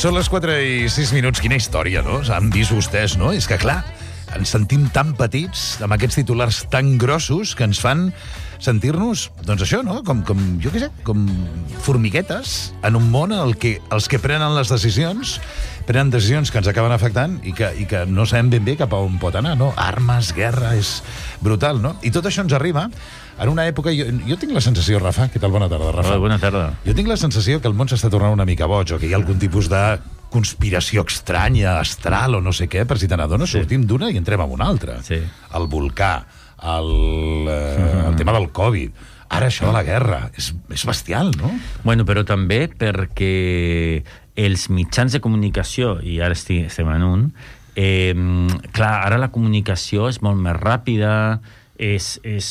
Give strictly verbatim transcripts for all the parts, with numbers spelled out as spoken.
són les quatre i sis minuts. Quina història, no? Han vist vostès, no? És que, clar, ens sentim tan petits, amb aquests titulars tan grossos, que ens fan sentir-nos, doncs això, no? Com, com jo què sé, com formiguetes en un món en el que els que prenen les decisions prenen decisions que ens acaben afectant i que, i que no sabem ben bé cap a on pot anar, no? Armes, guerra, és brutal, no? I tot això ens arriba en una època... Jo, jo tinc la sensació, Rafa, què tal? Bona tarda, Rafa. Hola, bona tarda. Jo tinc la sensació que el món s'està tornant una mica boig, o que hi ha algun tipus de conspiració estranya, astral o no sé què, per si te n'adones, sí. Sortim d'una i entrem a una altra. Sí. El volcà, el, eh, el tema del Covid, ara això de la guerra, és, és bestial, no? Bueno, però també perquè els mitjans de comunicació, i ara estem en un, eh, clar, ara la comunicació és molt més ràpida, és, és,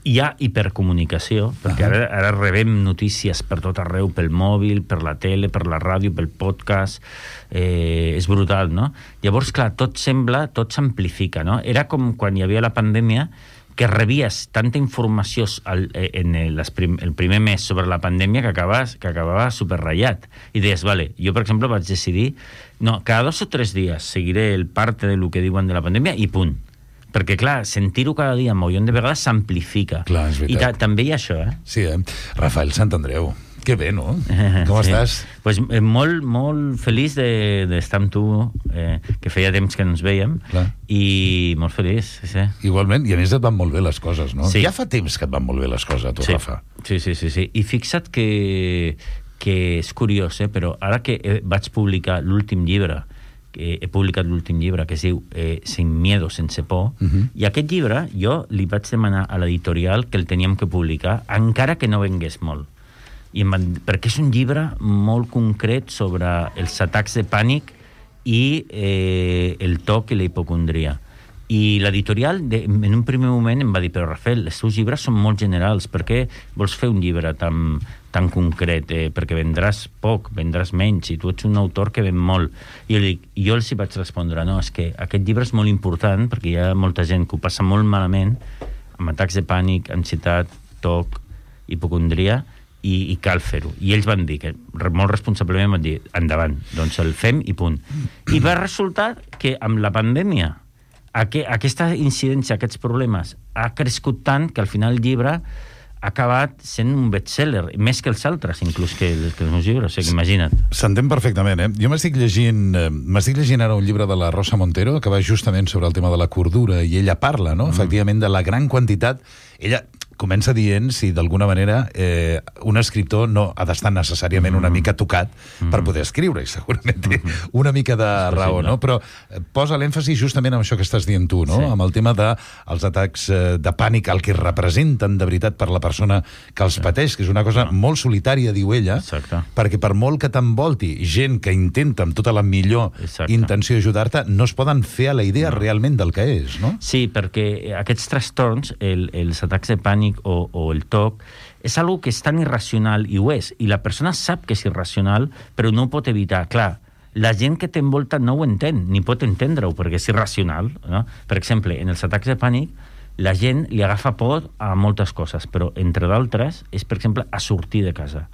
hi ha hipercomunicació, perquè ara, ara rebem notícies per tot arreu, pel mòbil, per la tele, per la ràdio, pel podcast, eh, és brutal, no? Llavors, clar, tot sembla, tot s'amplifica, no? Era com quan hi havia la pandèmia, que rebies tanta informació al, en el, prim, el primer mes sobre la pandèmia que acabava, que acabava superratllat. I deies, vale, jo, per exemple, vaig decidir, no, cada dos o tres dies seguiré el parte de lo que diuen de la pandèmia i punt. Perquè, clar, sentir-ho cada dia un milió de vegades s'amplifica. Clar, és veritat. I ta, també hi ha això, eh? Sí, eh? Rafael Santandreu, que bé, no? Com sí. Estàs? Pues, eh, molt, molt feliç d'estar de, amb tu, eh, que feia temps que no ens veiem, clar. I molt feliç, sí, sí. Igualment, i a més et van molt bé les coses, no? Sí. Ja fa temps que et van molt bé les coses, a tu, sí. Rafa. Sí, sí, sí, sí. I fixa't que, que és curiós, eh? Però ara que vaig publicar l'últim llibre, que he publicat l'últim llibre, que es diu eh, Sin miedo, sense por, uh -huh. I aquest llibre jo li vaig demanar a l'editorial que el teníem que publicar, encara que no vengués molt. I em van, perquè és un llibre molt concret sobre els atacs de pànic i eh, el toc i la hipocondria. I l'editorial, en un primer moment, em va dir, però Rafael, els teus llibres són molt generals, per què vols fer un llibre tan, tan concret? Eh, perquè vendràs poc, vendràs menys, i tu ets un autor que ven molt. I jo, dic, jo els hi vaig respondre, no, és que aquest llibre és molt important, perquè hi ha molta gent que ho passa molt malament, amb atacs de pànic, ansietat, toc, hipocondria, i, i cal fer-ho. I ells van dir, que molt responsablement van dir, endavant, doncs el fem i punt. I va resultar que amb la pandèmia aquesta incidència, aquests problemes, ha crescut tant que al final el llibre ha acabat sent un best-seller, més que els altres, inclús que, que els meus llibres, o sigui, imagina't. S'entén perfectament, eh? Jo m'estic llegint, eh, m'estic llegint ara un llibre de la Rosa Montero, que va justament sobre el tema de la cordura, i ella parla, no?, mm. efectivament, de la gran quantitat... Ella comença dient si d'alguna manera eh, un escriptor no ha d'estar necessàriament mm. una mica tocat mm. per poder escriure, i segurament té mm. una mica de raó, no? Però posa l'èmfasi justament en això que estàs dient tu, no? Sí. Amb el tema dels atacs de pànic, el que representen de veritat per la persona que els sí. pateix, que és una cosa sí. molt solitària, diu ella, exacte. Perquè per molt que t'envolti gent que intenta amb tota la millor exacte. Intenció ajudar-te, no es poden fer a la idea no. realment del que és, no? Sí, perquè aquests trastorns, el, els atacs de pànic O, o el toc, és algo que és tan irracional, i ho és, i la persona sap que és irracional, però no ho pot evitar. Clar, la gent que t'envolta no ho entén, ni pot entendre-ho, perquè és irracional, no? Per exemple, en els atacs de pànic, la gent li agafa por a moltes coses, però, entre d'altres, és, per exemple, a sortir de casa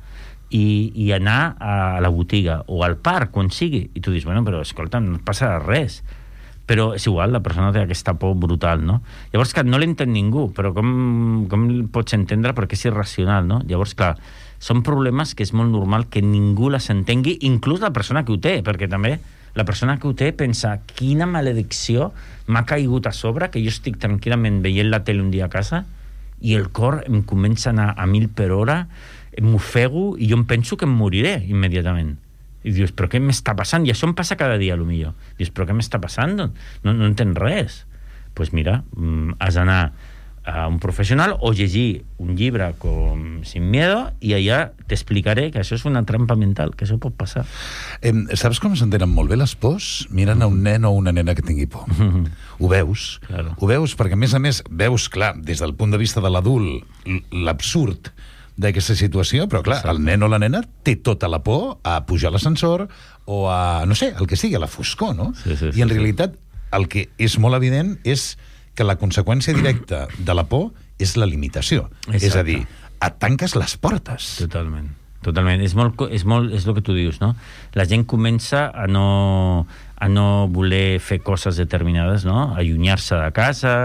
i, i anar a la botiga o al parc, quan sigui, i tu dius, bueno, però, escolta, no et passa res. Però és igual, la persona té aquesta por brutal, no? Llavors, clar, no l'entén ningú, però com, com el pots entendre? Perquè és irracional, no? Llavors, clar, són problemes que és molt normal que ningú les entengui, inclús la persona que ho té, perquè també la persona que ho té pensa, quina maledicció m'ha caigut a sobre, que jo estic tranquil·lament veient la tele un dia a casa i el cor em comença a anar a mil per hora, m'ofego i jo em penso que em moriré immediatament. I dius, però què m'està passant? I això em passa cada dia, potser. Dius, però què m'està passant? No, no entens res. Doncs pues mira, has d'anar a un professional o llegir un llibre com Sin miedo i allà t'explicaré que això és una trampa mental, que això pot passar. Eh, saps com s'entenen molt bé les pors? Mirant a un nen o una nena que tingui por. Mm-hmm. Ho veus? Claro. Ho veus perquè, a més a més, veus, clar, des del punt de vista de l'adult, l'absurd d'aquesta situació, però clar, el nen o la nena té tota la por a pujar a l'ascensor o a, no sé, el que sigui, a la foscor, no? Sí, sí, sí, I en realitat el que és molt evident és que la conseqüència directa de la por és la limitació. Exacte. És a dir, et tanques les portes. Totalment. totalment. És, molt, és, molt, és el que tu dius, no? La gent comença a no, a no voler fer coses determinades, no? Allunyar-se de casa,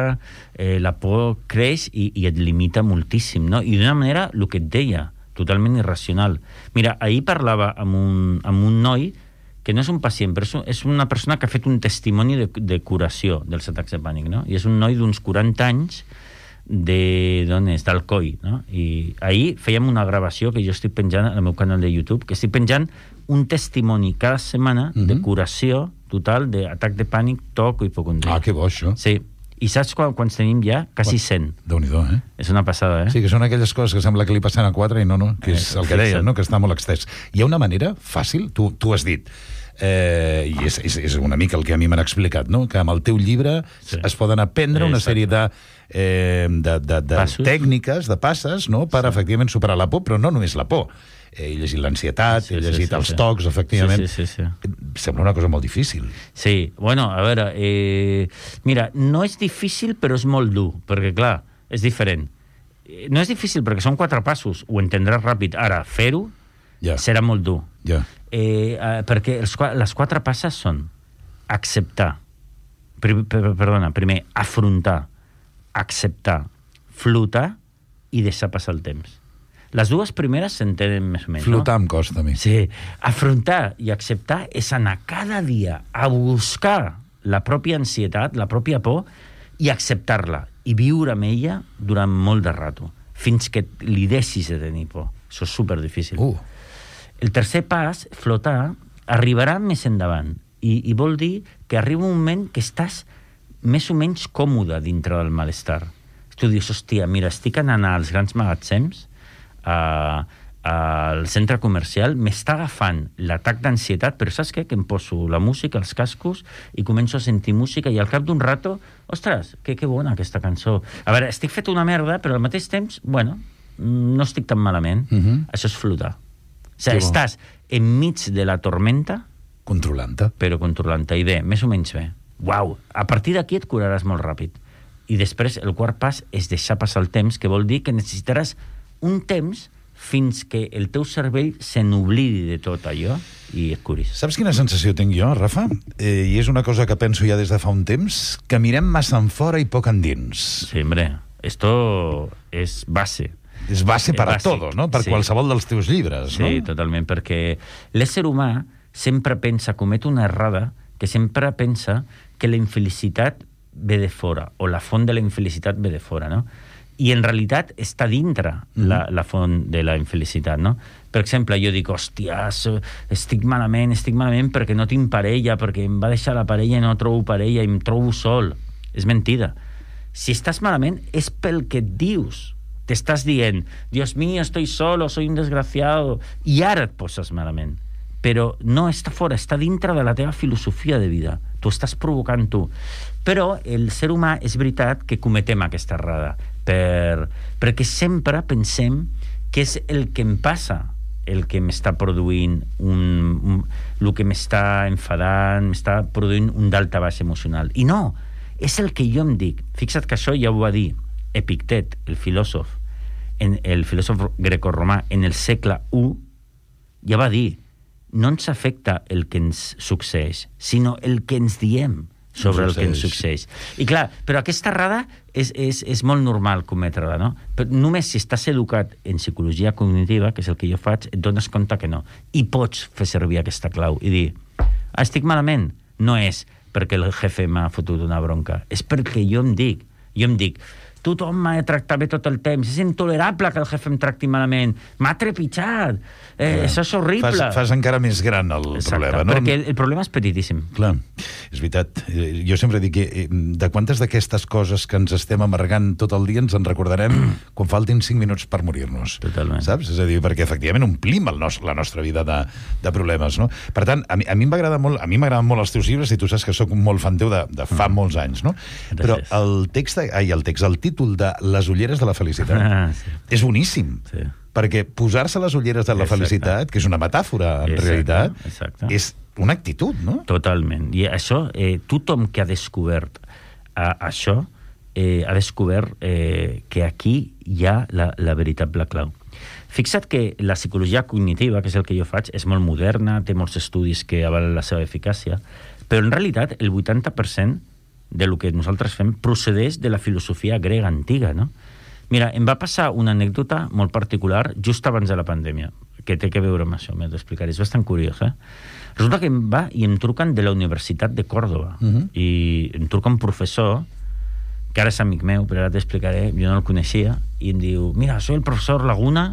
eh, la por creix i, i et limita moltíssim, no? I d'una manera, el que et deia, totalment irracional. Mira, ahir parlava amb un, amb un noi que no és un pacient, però és una persona que ha fet un testimoni de, de curació dels atacs de pànic, no? I és un noi d'uns quaranta anys de, d'on és? D'Alcoi, no? I ahir fèiem una gravació que jo estic penjant al meu canal de YouTube, que estic penjant un testimoni cada setmana mm-hmm. de curació total d'atac de pànic, toc o hipocondria. Ah, que bo, això. Sí. I saps quan, quants tenim ja? Quasi cent. Déu-n'hi-do, eh? És una passada, eh? Sí, que són aquelles coses que sembla que li passen a quatre i no, no, que és el que deien, no? Que està molt extès. Hi ha una manera fàcil, tu, tu has dit, eh, i és, és, és una mica el que a mi m'han explicat, no? Que amb el teu llibre sí. es poden aprendre una sèrie de, eh, de, de, de tècniques, de passes, no? Per sí. efectivament superar la por, però no només la por. He llegit l'ansietat, sí, he llegit sí, sí, els sí. tocs, efectivament. Sí, sí, sí, sí. Sembla una cosa molt difícil. Sí, bueno, a veure, eh, mira, no és difícil, però és molt dur, perquè, clar, és diferent. No és difícil perquè són quatre passos, ho entendràs ràpid. Ara, fer-ho yeah. serà molt dur. Yeah. Eh, eh, perquè els, les quatre passes són acceptar, per, per, perdona, primer, afrontar, acceptar, flotar i deixar passar el temps. Les dues primeres s'entenen més o menys, flotar no? em costa a mi. Sí, afrontar i acceptar és anar cada dia a buscar la pròpia ansietat, la pròpia por, i acceptar-la, i viure amb ella durant molt de rato, fins que li deixis de tenir por. Això és superdifícil. Uh. El tercer pas, flotar, arribarà més endavant, i, i vol dir que arriba un moment que estàs més o menys còmode dintre del malestar. Tu dius, hòstia, mira, estic anant als grans magatzems, a, al centre comercial, m'està agafant l'atac d'ansietat, però saps què? Que em poso la música, els cascos, i començo a sentir música, i al cap d'un rato, ostres, que, que bona aquesta cançó. A veure, estic fet una merda, però al mateix temps, bueno, no estic tan malament. Uh-huh. Això és flotar. O sigui, estàs enmig de la tormenta, controlant-te. Però controlant-te, i bé, més o menys bé. Uau, a partir d'aquí et curaràs molt ràpid. I després, el quart pas és deixar passar el temps, que vol dir que necessitaràs un temps fins que el teu cervell se n'oblidi de tot allò i et curis. Saps quina sensació tinc jo, Rafa? Eh, I és una cosa que penso ja des de fa un temps, que mirem massa en fora i poc endins. Sí, hombre, esto és base. És base per a todos, no? Per sí. qualsevol dels teus llibres, sí, no? Sí, totalment, perquè l'ésser humà sempre pensa, comet una errada, que sempre pensa que la infelicitat ve de fora, o la font de la infelicitat ve de fora, no? I en realitat està dintre mm. la, la font de la infelicitat, no? Per exemple, jo dic, hòstia, estic malament, estic malament perquè no tinc parella, perquè em va deixar la parella i no trobo parella i em trobo sol. És mentida. Si estàs malament és pel que et dius. T'estàs dient, Dios mío, estoy solo, soy un desgraciado, i ara et poses malament. Però no està fora, està dintre de la teva filosofia de vida. Tu estàs provocant tu. Però el ser humà és veritat que cometem aquesta errada, per, perquè sempre pensem que és el que em passa, el que m'està produint un, un, el que m'està enfadant, m'està produint un dalta baix emocional. I no, és el que jo em dic. Fixa't que això ja ho va dir Epictet, el filòsof, en, el filòsof grecorromà, en el segle u, ja va dir, no ens afecta el que ens succeeix, sinó el que ens diem sobre el que ens succeeix. I clar, però aquesta errada és, és, és molt normal cometre-la, no? Però només si estàs educat en psicologia cognitiva, que és el que jo faig, et dones compte que no. I pots fer servir aquesta clau i dir, ah, estic malament. No és perquè el jefe m'ha fotut una bronca, és perquè jo em dic, jo em dic, tothom m'ha de tractar bé tot el temps, és intolerable que el jefe em tracti malament, m'ha trepitjat, eh, això és horrible. Fas, fas encara més gran el Exacte, problema, no? Perquè el, el problema és petitíssim. Clar, és veritat. Jo sempre dic que de quantes d'aquestes coses que ens estem amargant tot el dia ens en recordarem quan faltin cinc minuts per morir-nos. Totalment. Saps? És a dir, perquè efectivament omplim el nos, la nostra vida de, de problemes, no? Per tant, a mi, a mi m'agrada molt, a mi m'agraden molt els teus llibres i tu saps que sóc molt fan teu de, de fa mm. molts anys, no? Gràcies. Però el text, ai, el text, el títol de Les ulleres de la felicitat ah, sí. és boníssim. Sí. Perquè posar-se les ulleres de la Exacte. felicitat, que és una metàfora en Exacte. realitat, Exacte. és una actitud, no? Totalment. I això, eh, tothom que ha descobert eh, això, eh, ha descobert eh, que aquí hi ha la, la veritable clau. Fixa't que la psicologia cognitiva, que és el que jo faig, és molt moderna, té molts estudis que avalen la seva eficàcia, però en realitat el vuitanta per cent de lo que nosaltres fem procedeix de la filosofia grega antiga, no? Mira, em va passar una anècdota molt particular just abans de la pandèmia, que té que veure amb això, m'he d'explicar. És bastant curiós, eh? Resulta que em va i em truquen de la Universitat de Còrdova, uh-huh. i em truca un professor, que ara és amic meu, però ara t'explicaré, jo no el coneixia, i em diu, mira, soy el professor Laguna,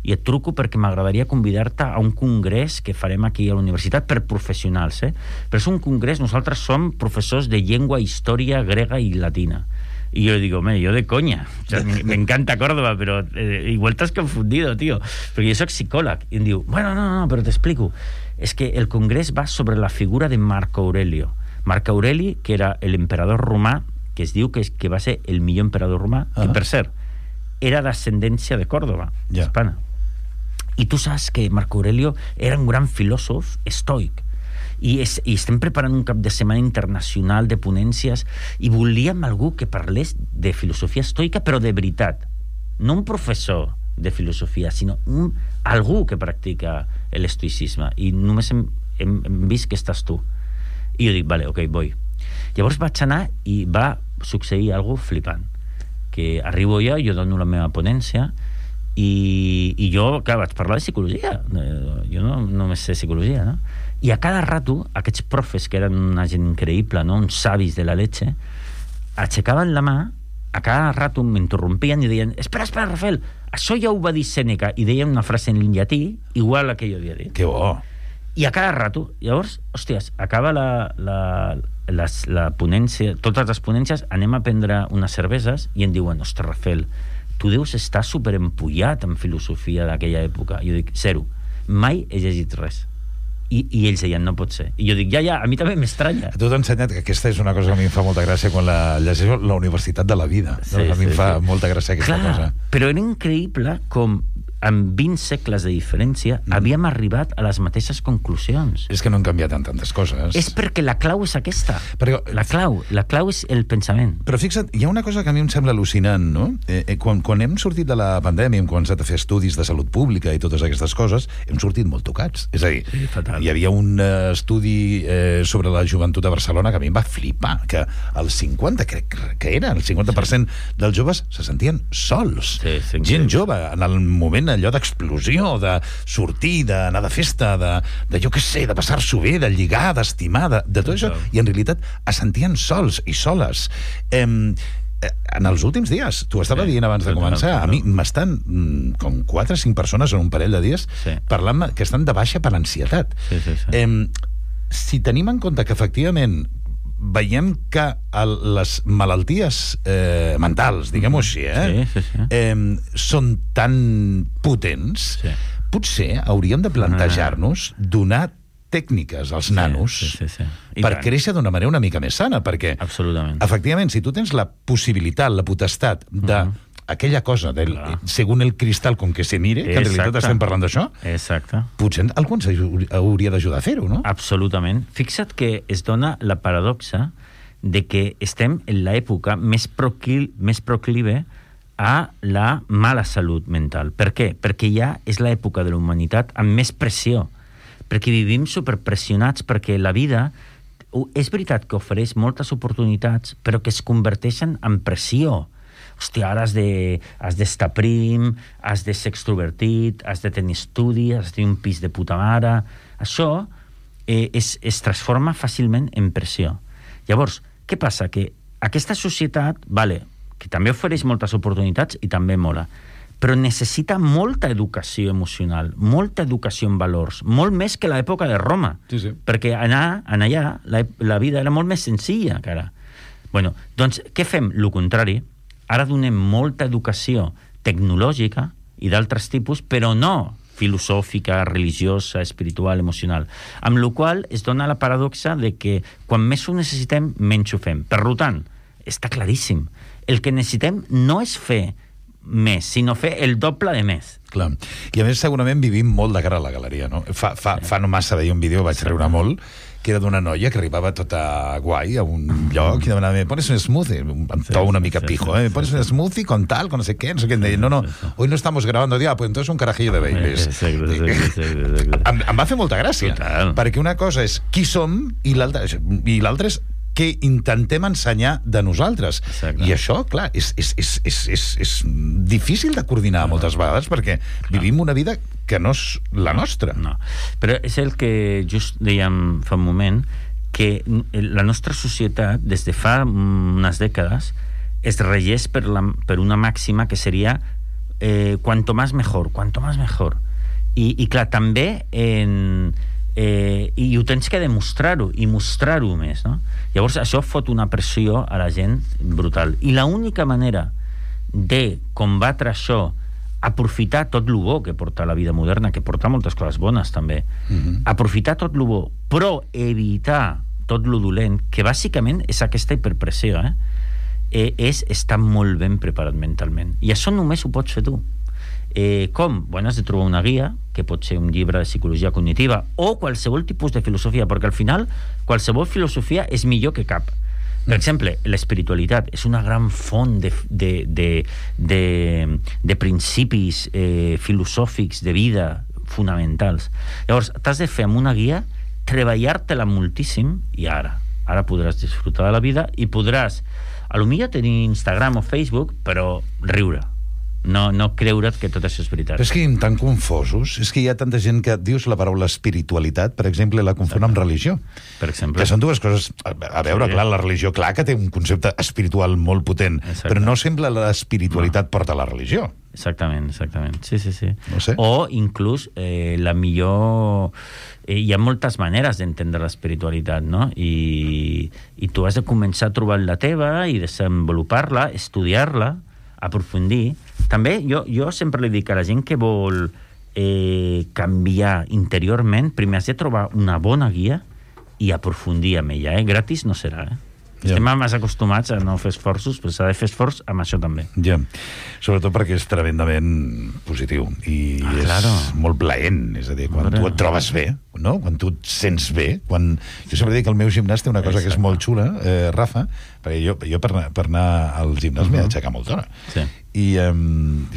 i et truco perquè m'agradaria convidar-te a un congrés que farem aquí a la universitat per professionals, eh? Però és un congrés, nosaltres som professors de llengua, història grega i latina. Y yo digo, me, yo de coña. O sea, me, me encanta Córdoba, pero eh, igual t'has confundido, tío. Porque yo soy psicòleg. I em diu, bueno, no, no, però t'explico. És que el congrés va sobre la figura de Marco Aurelio. Marco Aureli, que era l'emperador romà, que es diu que, es, que va ser el millor emperador romà, uh-huh. que, per cert, era d'ascendència de Còrdova, yeah. hispana. I tu saps que Marco Aurelio era un gran filòsof estoic. I, és, i estem preparant un cap de setmana internacional de ponències i volíem algú que parlés de filosofia estoica, però de veritat. No un professor de filosofia, sinó un, algú que practica l'estoicisme. I només hem, hem, hem vist que estàs tu. I jo dic, vale, ok, voy. Llavors vaig anar i va succeir algo flipant. Que arribo jo, jo dono la meva ponència i, i jo, clar, vaig parlar de psicologia. Jo no només sé psicologia, no? I a cada rato, aquests profes, que eren una gent increïble, no? Uns savis de la leche, aixecaven la mà, a cada rato m'interrompien i deien, espera, espera, Rafael, això ja ho va dir Sèneca, i deien una frase en llatí igual a la que jo havia dit. Que bo! I a cada rato, llavors, hòsties, acaba la, la, la, la ponència, totes les ponències, anem a prendre unes cerveses i em diuen, ostres, Rafael, tu deus estar superempullat en filosofia d'aquella època. I jo dic, zero, mai he llegit res. I, i ells deien, no pot ser. I jo dic, ja, ja, a mi també m'estranya. A tu t'he ensenyat que aquesta és una cosa que a mi em fa molta gràcia quan la llegeixo, la Universitat de la Vida. Sí, no? A mi sí, em fa sí. molta gràcia aquesta Clar, cosa. Però era increïble com amb vint segles de diferència mm. havíem arribat a les mateixes conclusions. És que no han canviat en tantes coses. És perquè la clau és aquesta. Però, la clau, la clau és el pensament. Però fixa't, hi ha una cosa que a mi em sembla al·lucinant, no? Eh, eh, quan, quan hem sortit de la pandèmia, hem començat a fer estudis de salut pública i totes aquestes coses, hem sortit molt tocats. És a dir, sí, hi havia un uh, estudi eh, sobre la joventut a Barcelona que a mi em va flipar, que el cinquanta, crec que era, el cinquanta per cent sí. dels joves se sentien sols. Sí, sí, gent sí. jove, en el moment allò d'explosió, de sortir, d'anar de festa, de, de jo què sé, de passar-s'ho bé, de lligar, d'estimar, de, de tot això, i en realitat es sentien sols i soles. Eh, en els últims dies, tu estava sí, dient abans de començar, a mi m'estan com quatre o cinc persones en un parell de dies sí. parlant que estan de baixa per ansietat. Sí, sí, sí. Eh, si tenim en compte que efectivament veiem que el, les malalties eh, mentals, diguem-ho així, eh, sí, sí, sí. eh, són tan potents, sí. potser hauríem de plantejar-nos donar tècniques als nanos sí, sí, sí, sí. per tant. créixer d'una manera una mica més sana, perquè efectivament, si tu tens la possibilitat, la potestat de uh-huh. aquella cosa, del, según el cristal con que se mire, que en realitat estem parlant d'això, exacte. Potser algú ens hauria d'ajudar a fer-ho, no? Absolutament. Fixa't que es dona la paradoxa de que estem en l'època més, procli més proclive a la mala salut mental. Per què? Perquè ja és l'època de la humanitat amb més pressió, perquè vivim superpressionats, perquè la vida és veritat que ofereix moltes oportunitats, però que es converteixen en pressió. Hòstia, ara has de, has d'estar prim, has de ser extrovertit, has de tenir estudi, has de tenir un pis de puta mare. Això eh, es, es transforma fàcilment en pressió. Llavors, què passa? Que aquesta societat, vale, que també ofereix moltes oportunitats i també mola, però necessita molta educació emocional, molta educació en valors, molt més que l'època de Roma. Sí, sí. Perquè anar, anar allà la, la vida era molt més senzilla que ara. Bueno, doncs, què fem? Lo contrari. Ara donem molta educació tecnològica i d'altres tipus, però no filosòfica, religiosa, espiritual, emocional. Amb la qual es dona la paradoxa de que quan més ho necessitem, menys ho fem. Per tant, està claríssim. El que necessitem no és fer més, sinó fer el doble de més. Clar. I a més, segurament vivim molt de cara a la galeria, no? Fa, fa, fa no massa veia un vídeo, vaig riure molt, que era d'una noia que arribava tota guai a un lloc i demanava, pones un smoothie, un to una mica pijo, eh? Pones un smoothie con tal, con no sé què, no sé què, em deia, no, no, hoy no estamos grabando, dia, pues entonces un carajillo de Baileys. Em, em va fer molta gràcia, Total. perquè una cosa és qui som i l'altra i l'altra és què intentem ensenyar de nosaltres. Exacte. I això, clar, és, és, és, és, és, és difícil de coordinar moltes vegades perquè vivim una vida que no és la nostra. No, però és el que just dèiem fa un moment, que la nostra societat, des de fa unes dècades, es regeix per, la, per una màxima que seria eh, cuanto más mejor, cuanto más mejor. I, i clar, també en... Eh, i ho tens que demostrar-ho i mostrar-ho més, no? Llavors això fot una pressió a la gent brutal, i l'única manera de combatre això, aprofitar tot lo bo que porta la vida moderna, que porta moltes coses bones també, mm-hmm. aprofitar tot lo bo però evitar tot lo dolent, que bàsicament és aquesta hiperpressió, eh? Eh, és estar molt ben preparat mentalment, i això només ho pots fer tu. Eh, com? Bueno, has de trobar una guia, que pot ser un llibre de psicologia cognitiva o qualsevol tipus de filosofia, perquè al final qualsevol filosofia és millor que cap. Per exemple, l'espiritualitat és una gran font de, de, de, de, de principis eh, filosòfics de vida fonamentals. Llavors, t'has de fer amb una guia, treballar-te-la moltíssim, i ara, ara podràs disfrutar de la vida i podràs, a lo millor tenir Instagram o Facebook, però riure. No, no creure't que tot això és veritat. Però és que hi tan confosos. És que hi ha tanta gent que dius la paraula espiritualitat, per exemple, la confon amb religió. Per exemple. Que són dues coses... A veure, sí. clar, la religió, clar que té un concepte espiritual molt potent, Exacte. Però no sembla l'espiritualitat no. porta a la religió. Exactament, exactament. Sí, sí, sí. No sé. O inclús eh, la millor... Eh, hi ha moltes maneres d'entendre l'espiritualitat, no? I, i tu has de començar a trobar la teva i desenvolupar-la, estudiar-la, aprofundir. També jo, jo sempre li dic a la gent que vol eh, canviar interiorment, primer has de trobar una bona guia i aprofundir amb ella, eh? Gratis no serà, eh? Ja. Estem més acostumats a no fer esforços, però s'ha de fer esforç amb això també. Ja, sobretot perquè és tremendament positiu i ah, és claro. molt plaent, és a dir, quan Hombre. tu et trobes bé, no? Quan tu et sents bé, quan... Jo sempre dic que el meu gimnàs té una cosa Exacte. que és molt xula, eh, Rafa, perquè jo, jo per, anar, per anar al gimnàs uh -huh. m'he d'aixecar molt d'hora. Sí. I um,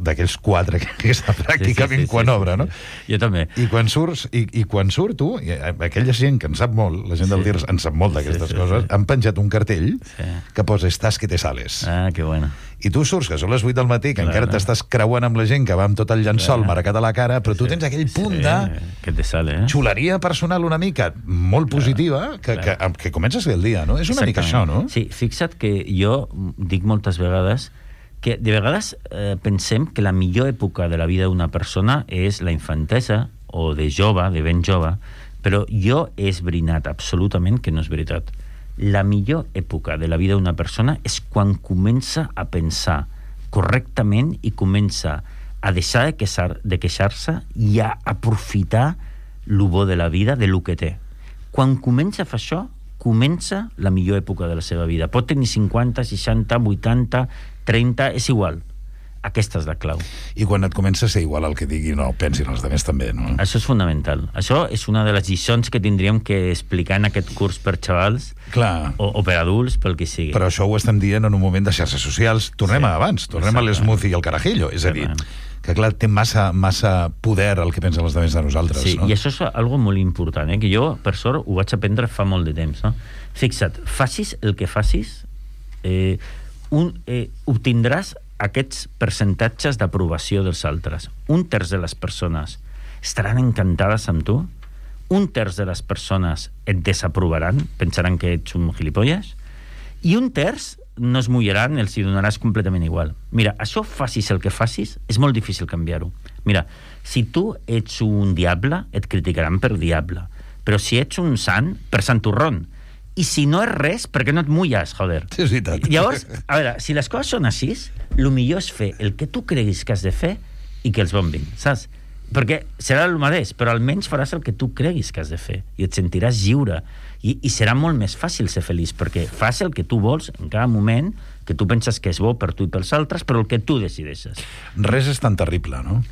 d'aquells quatre que, que està pràcticament sí, sí, sí, quan sí, obre, no? Sí, sí. Jo també. I quan surts, i, i quan surto, i aquella gent que en sap molt, la gent sí. del T I R S en sap molt d'aquestes sí, sí, coses, sí. han penjat un cartell sí. que posa estàs que te sales. Ah, que bueno. I tu surts, que són les vuit del matí, que claro. encara t'estàs creuant amb la gent que va amb tot el llençol claro. marcat a la cara, però tu tens aquell punt sí, de... que te sale, eh? Xuleria personal una mica molt positiva, claro. que, claro. que, que comences bé el dia, no? És una mica això, no? Sí, fixa't que jo dic moltes vegades que de vegades eh, pensem que la millor època de la vida d'una persona és la infantesa o de jove, de ben jove, però jo he esbrinat absolutament que no és veritat. La millor època de la vida d'una persona és quan comença a pensar correctament i comença a deixar de, queixar, de queixar-se i a aprofitar lo bo de la vida, de lo que té. Quan comença a fer això, comença la millor època de la seva vida. Pot tenir cinquanta, seixanta, vuitanta, trenta, és igual. Aquesta és la clau. I quan et comença a ser igual el que digui, no, pensin els altres també, no? Això és fonamental. Això és una de les lliçons que tindríem que explicar en aquest curs per xavals Clar. O, o per adults, pel que sigui. Però això ho estem dient en un moment de xarxes socials. Tornem sí. a abans, tornem Exacte. a l'smoothie i al carajillo. És a dir, que clar, té massa, massa poder el que pensen els altres de nosaltres. Sí, no? i això és algo molt important, eh? Que jo, per sort, ho vaig aprendre fa molt de temps, no? Fixa't, facis el que facis, eh, un, eh, obtindràs aquests percentatges d'aprovació dels altres. Un terç de les persones estaran encantades amb tu, un terç de les persones et desaprovaran, pensaran que ets un gilipolles, i un terç no es mullaran, els hi donaràs completament igual. Mira, això facis el que facis, és molt difícil canviar-ho. Mira, si tu ets un diable, et criticaran per diable, però si ets un sant, per santurrón. I si no és res, per què no et mulles, joder? Sí, és veritat. Llavors, a veure, si les coses són així, el millor és fer el que tu creguis que has de fer i que els bombin, saps? Perquè serà el mateix, però almenys faràs el que tu creguis que has de fer i et sentiràs lliure. I, i serà molt més fàcil ser feliç, perquè fas el que tu vols en cada moment, que tu penses que és bo per tu i pels altres, però el que tu decideixes. Res és tan terrible, no?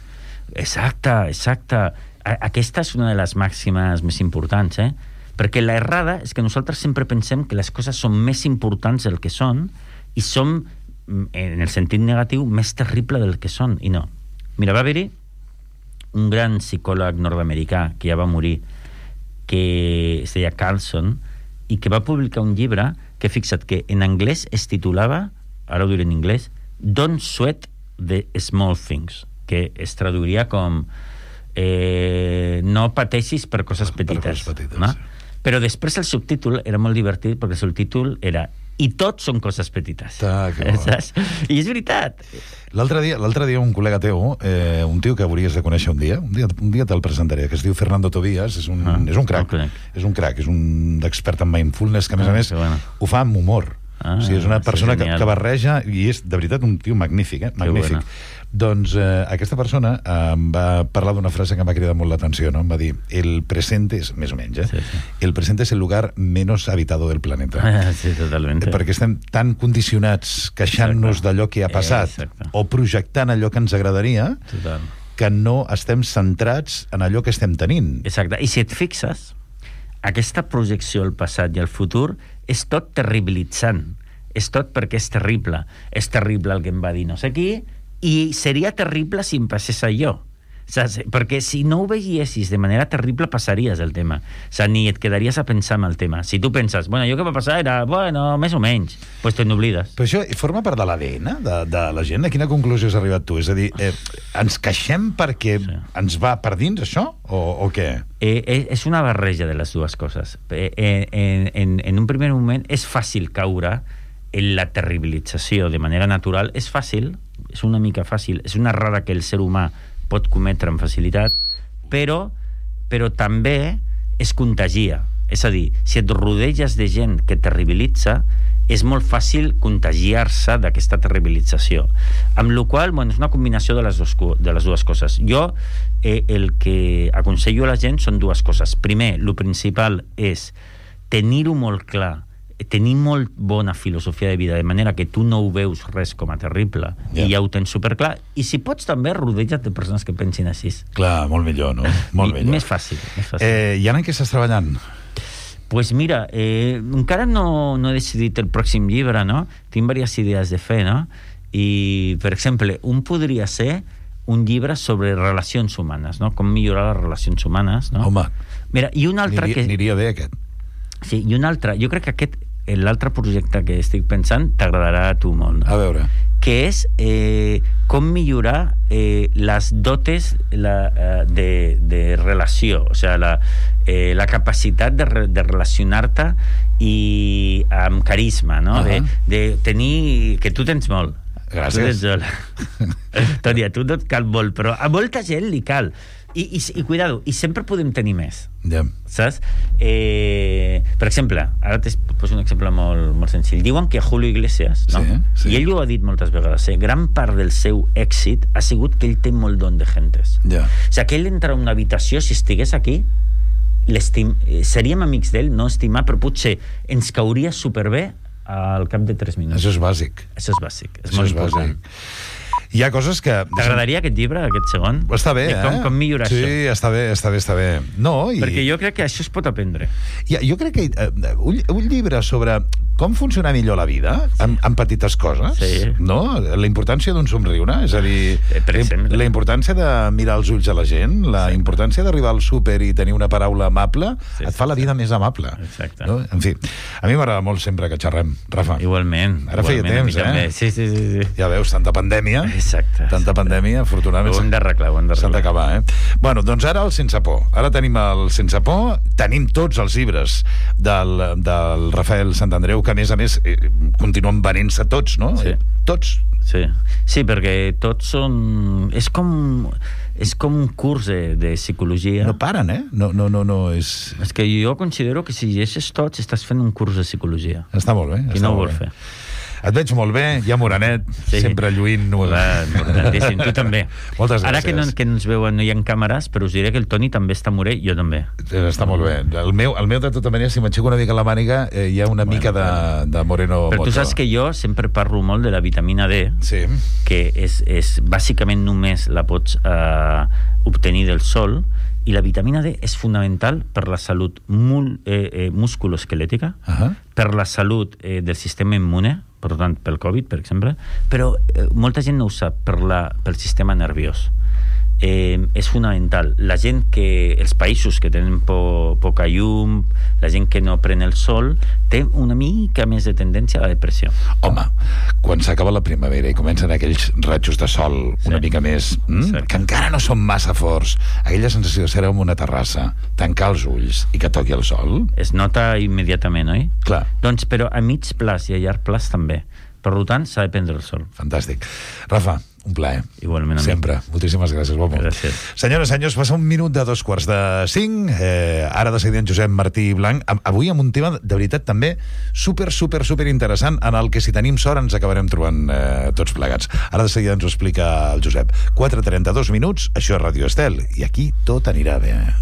Exacte, exacte. Aquesta és una de les màximes més importants, eh? Perquè la errada és que nosaltres sempre pensem que les coses són més importants del que són i són, en el sentit negatiu, més terrible del que són, i no. Mira, va haver-hi un gran psicòleg nord-americà que ja va morir, que es deia Carlson, i que va publicar un llibre que, fixa't, que en anglès es titulava, ara ho diré en anglès, Don't Sweat the Small Things, que es traduiria com eh, no pateixis per coses petites. Per coses petites, no? Sí. Però després el subtítol era molt divertit, perquè el subtítol era i tots són coses petites. Ah, que bo. Saps? I és veritat. L'altre dia, l'altre dia un col·lega teu, eh, un tio que hauries de conèixer un dia, un dia, un dia te'l presentaré, que es diu Fernando Tobías, és un, ah, és un crac, és un crac, és un expert en mindfulness, que a més ah, a més bueno. ho fa amb humor. Ah, o sigui, és una persona que, que barreja, i és de veritat un tio magnífic, eh? magnífic. Bueno. Doncs eh, aquesta persona eh, em va parlar d'una frase que m'ha cridat molt l'atenció, no? Em va dir, el presente, és, més o menys, eh? sí, sí. el presente és el lugar menos habitado del planeta. Ah, sí, totalment. Perquè estem tan condicionats queixant-nos d'allò que ha passat Exacte. o projectant allò que ens agradaria Total. que no estem centrats en allò que estem tenint. Exacte. I si et fixes, aquesta projecció al passat i al futur és tot terribilitzant. És tot perquè és terrible. És terrible el que em va dir no sé qui, i seria terrible si em passés allò. Saps? Perquè si no ho veiessis de manera terrible passaries el tema. O sigui, ni et quedaries a pensar en el tema. Si tu penses, bueno, allò que va passar era, bueno, més o menys, doncs pues te n'oblides. Però això forma part de l'A D N de, de la gent? A quina conclusió has arribat tu? És a dir, eh, ens queixem perquè sí. ens va per dins això? O, o què? Eh, és una barreja de les dues coses. Eh, en, en, en un primer moment és fàcil caure en la terribilització de manera natural. És fàcil, és una mica fàcil, és una errada que el ser humà pot cometre amb facilitat, però, però també es contagia. És a dir, si et rodeges de gent que terribilitza, és molt fàcil contagiar-se d'aquesta terribilització. Amb la qual cosa, bueno, és una combinació de les, dos, de les dues coses. Jo eh, el que aconsello a la gent són dues coses. Primer, el principal és tenir-ho molt clar, tenir molt bona filosofia de vida, de manera que tu no ho veus res com a terrible, yeah. i ja ho tens superclar, i si pots també rodeja't de persones que pensin així. Clar, molt millor, no? Molt millor. Més fàcil. Més fàcil. Eh, I ara en què estàs treballant? Pues mira, eh, encara no, no he decidit el pròxim llibre, no? Tinc diverses idees de fer, no? I, per exemple, un podria ser un llibre sobre relacions humanes, no? Com millorar les relacions humanes, no? Home, mira, i un altre aniria, que... aniria bé aquest. Sí, i un altre, jo crec que aquest l'altre projecte que estic pensant t'agradarà a tu molt, no? A veure. Que és eh, com millorar eh, les dotes la, eh, de, de relació, o sigui, la, eh, la capacitat de, re, de relacionar-te i amb carisma, no? Uh -huh. de, de tenir... que tu tens molt. Gràcies. Toni, a tu no et cal molt, però a molta gent li cal. I, i, i cuidado, i sempre podem tenir més. Yeah. Saps? Eh, per exemple, ara te poso un exemple molt, molt senzill. Diuen que Julio Iglesias, no? Sí, sí. I ell ho ha dit moltes vegades, eh? Gran part del seu èxit ha sigut que ell té molt don de gentes. Yeah. O sigui, que ell entra a una habitació, si estigués aquí, seríem amics d'ell, no estimar, però potser ens cauria superbé al cap de tres minuts. Això és bàsic. Això és bàsic. És Això molt és important. Bàsic. Hi ha coses que... T'agradaria aquest llibre, aquest segon? Està bé, com, eh? Com millorar sí, això? Sí, està bé, està bé, està bé. No, i... Perquè jo crec que això es pot aprendre. Ja, jo crec que uh, un, un llibre sobre com funciona millor la vida, sí. amb, amb petites coses, sí. no? La importància d'un somriure, és a dir, la, la importància de mirar els ulls a la gent, la sí. importància d'arribar al súper i tenir una paraula amable, sí, et fa la vida sí. més amable. Exacte. No? En fi, a mi m'agrada molt sempre que xerrem, Rafa. Igualment. Ara igualment, feia temps, eh? Sí, sí, sí, sí. Ja veus, tanta pandèmia. Exacte. Tanta pandèmia, afortunadament... Ho hem d'arreglar, ho hem d'arreglar. S'han d'acabar, eh? Bueno, doncs ara el Sense Por. Ara tenim el Sense Por, tenim tots els llibres del, del Rafael Santandreu, que a més a més eh, continuen venent-se tots, no? Sí. Tots. Sí. Sí, perquè tots són... És com... És com un curs de, de psicologia. No paren, eh? No, no, no, no, és... És que jo considero que si llegeixes tots estàs fent un curs de psicologia. Està molt bé. Qui no ho vol fer? Et veig molt bé, ja morenet, sí. sempre lluint. Importantíssim, tu també. Moltes gràcies. Ara que, no, que ens veuen, no hi ha càmeres, però us diré que el Toni també està morè, jo també. Està molt bé. El meu, el meu de tota manera, si m'aixeco una mica la màniga, eh, hi ha una bueno, mica de, de moreno. Però moto. Tu saps que jo sempre parlo molt de la vitamina D, sí. que és, és bàsicament només la pots eh, obtenir del sol, i la vitamina D és fonamental per la salut mul, eh, eh, musculoesquelètica, uh -huh. per la salut eh, del sistema immune, per tant, pel Covid, per exemple, però eh, molta gent no ho sap, per la, pel sistema nerviós. Eh, és fonamental. La gent que... Els països que tenen po, poca llum, la gent que no pren el sol, té una mica més de tendència a la depressió. Home, quan s'acaba la primavera i comencen aquells ratxos de sol sí. una mica més... Mm, que encara no són massa forts, aquella sensació de ser en una terrassa, tancar els ulls i que toqui el sol... Es nota immediatament, oi? Clar. Doncs, però a mig plaç i a llarg plaç també. Per tant, s'ha de prendre el sol. Fantàstic. Rafa, un plaer. Igualment. Sempre. Moltíssimes gràcies, Bobo. Gràcies. Senyores, senyors, passa un minut de dos quarts de cinc. Eh, ara de seguida en Josep Martí Blanc. Avui amb un tema, de veritat, també super, super, super interessant, en el que, si tenim sort, ens acabarem trobant eh, tots plegats. Ara de seguida ens ho explica el Josep. quatre trenta-dos minuts, això és Ràdio Estel, i aquí tot anirà bé.